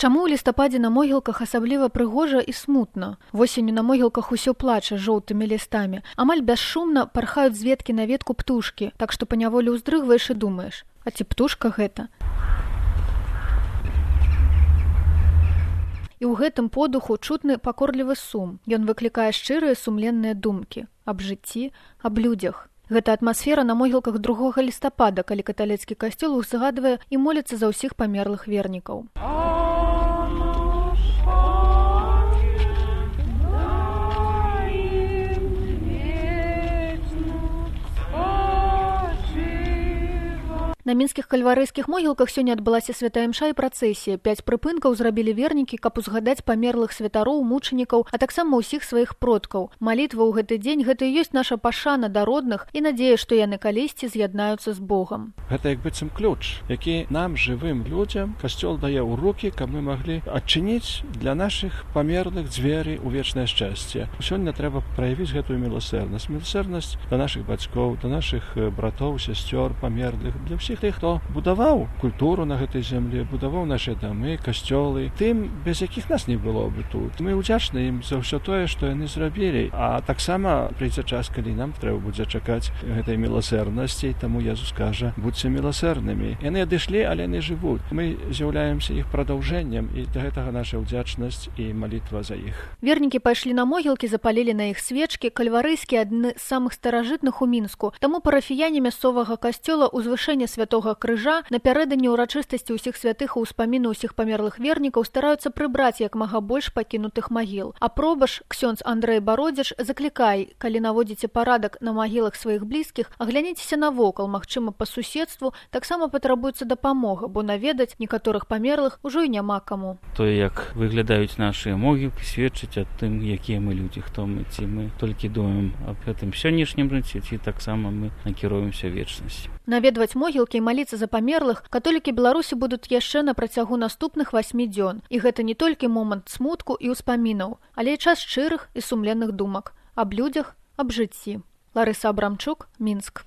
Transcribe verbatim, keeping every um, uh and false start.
Чаму ў лістападзе на могілках асабліва прыгожа і смутна? Восенню на могілках усё плача жоўтымі лістамі. Амаль бясшумна пархаюць з веткі на ветку птушкі, так што паняволі ўздрыгваеш і думаеш: а ці птушка гэта? І ў гэтым подуху чутны пакорлівы сум. Ён выклікае шчырыя сумленныя думкі аб жыцці, аб людзях. Гэта атмасфера на могілках другога лістапада, калі каталіцкі касцёл узгадвае і моліцца за ўсіх памерлых вернікаў. На мінскіх кальварыйскіх могілках сёння адбылася святая імша і працэсія. Пяць прыпынкаў зрабілі вернікі, каб узгадаць памерлых святароў, мучанікаў, а таксама ўсіх сваіх продкаў. Малітва ў гэты дзень гэта і ёсць наша пашана да родных і надзея, што яны калісьці з'яднаюцца з Богам. Гэта як быццам ключ, які нам, жывым людзям, касцёл дае ў рукі, каб мы маглі адчыніць для нашых памерлых дзверы ў вечнае шчасце. Сёння трэба праявіць гэтую міласэрнасць. Міласэрнасць да нашых бацькоў, да нашых братоў, сясцёр, памерлых, для ўсіх тых, хто будаваў культуру на гэтай зямлі, будаваў нашы дамы, касцёлы, тым, без якіх нас не было бы тут. Мы ўдзячны ім за ўсё тое, што яны зрабілі. А таксама прыйдзе час, калі нам трэба будзе чакаць гэтай міласэрнасці, таму Езус кажа: будзьце міласэрнымі. Яны адышлі, але яны жывуць. Мы з'яўляемся іх прадаўжэннем, і да гэтага наша ўдзячнасць і малітва за іх. Вернікі пайшлі на могілкі, запалілі на іх свечкі. Кальварыйскія адны з самых старажытных у Мінску. Таму парафіяне мясцовага касцёла ўзвышэння святога крыжа напярэдадні ўрачыстасці ўсіх святых і ўспаміну ўсіх памерлых вернікаў стараюцца прыбраць як мага больш пакінутых магіл. А пробаш ксёндз Андрэй Бародзіч заклікай, калі наводзіце парадак на магілах сваіх блізкіх, агляніцеся навокал, магчыма, па суседству таксама патрабуецца дапамога, бо наведаць некаторых памерлых ужо і няма каму. Тое, як выглядаюць нашыя могілкі, сведчыць аб тым, якія мы людзі, хто мы, ці мы толькі думаем аб гэтым сённяшнім жыцці, ці таксама мы накіруемся вечнасць. Наведваць могілкі і маліцца за памерлых католікі Беларусі будуць яшчэ на працягу наступных васьмі дзён. І гэта не толькі момант смутку і ўспамінаў, але і час шчырых і сумленных думак аб людзях, аб жыцці. Ларыса Абрамчук, Мінск.